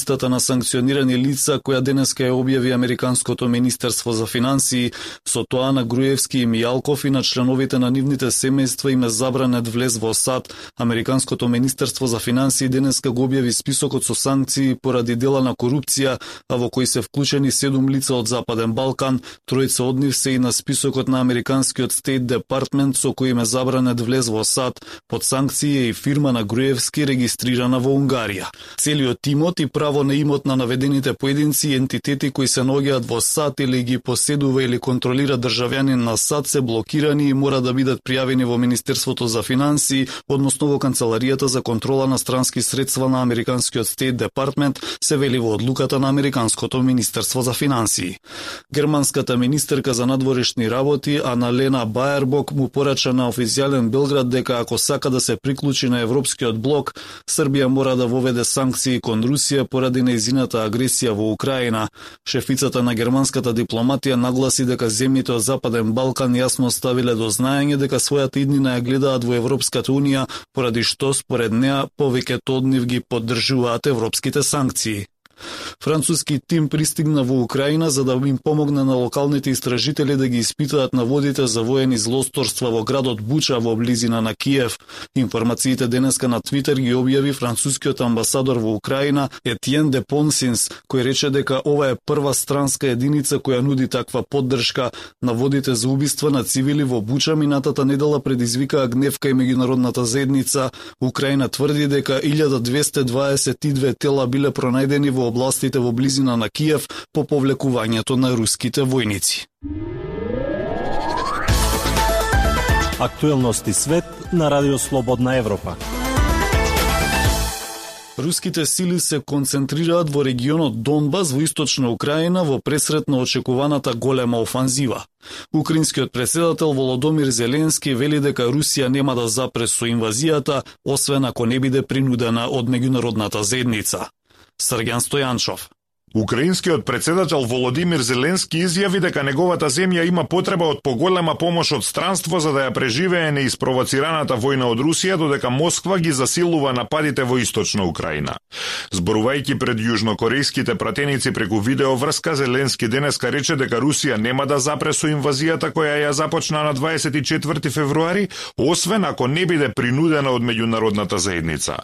листата на санкционирани лица која денеска ја објави Американското министерство за финансии. Со тоа на Груевски и Мијалков и на членовите на нивните семејства им е забранет влез во САД. Американското министерство за финансии денеска го објави списокот со санкции поради дела на корупција, а во кои се вклучени 7 лица од Западен Балкан. Тројца од нив се и на списокот на Американскиот Стейт Департмент со кој им е забранет влез во САД. Под санкции е и фирма на Груевски регистрирана во Унгарија. Целиот имот и право на имот на наведените поединци и ентитети кои се наоѓаат во САД или ги поседува или контролира државјанин на САД се блокирани и мора да бидат пријавени во Министерството за финансии, односно во Канцеларијата за контрола на странски средства на Американскиот Стейт Департмент, се вели во одлуката на Американското министерство за финансии. Германската министерка за надворешни работи Аналена Баербок му порача на официјален Белград дека ако сака да се приклучи на Европскиот блок, Србија мора да воведе санкции кон Русија поради нејзината агресија во Украина. Шефицата на германската дипломатија нагласи дека земјите од Западен Балкан јасно ставиле до знаење дека својата иднина ја гледаат во Европската унија, поради што според неа повеќето од нив ги поддржуваат европските санкции. Француски тим пристигна во Украина за да им помогне на локалните истражители да ги испитаат наводите за воени злосторства во градот Буча во близина на Киев. Информациите денеска на Твитер ги објави францускиот амбасадор во Украина Етиен де Понсинс, кој рече дека ова е прва странска единица која нуди таква поддршка. Наводите за убиства на цивили во Буча минатата недела предизвикаа гнев кај меѓународната заедница. Украина тврди дека 1222 тела биле пронајдени во областите во близина на Киев по повлекувањето на руските војници. Актуелности свет на Радио Слободна Европа. Руските сили се концентрираат во регионот Донбас во источна Украина во пресрет на очекуваната голема офанзива. Украинскиот председател Володомир Зеленски вели дека Русија нема да запре со инвазијата, освен ако не биде принудена од меѓународната заедница. Срѓан Стојанчов. Украинскиот председател Володимир Зеленски изјави дека неговата земја има потреба од поголема помош од странство за да ја преживее неиспровоцираната војна од Русија, додека Москва ги засилува нападите во источна Украина. Зборувајќи пред јужнокорејските пратеници преку видеоврска, Зеленски денеска рече дека Русија нема да запре со инвазијата која ја започна на 24 февруари, освен ако не биде принудена од меѓународната заедница.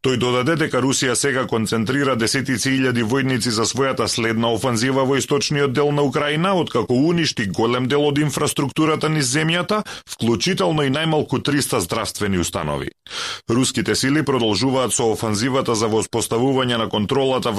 Тој додаде дека Русија сега концентрира десетици илјади војници за својата следна офанзива во источниот дел на Украина, откако уништи голем дел од инфраструктурата низ земјата, вклучително и најмалку 300 здравствени установи. Руските сили продолжуваат со офанзивата за воспоставување на контролата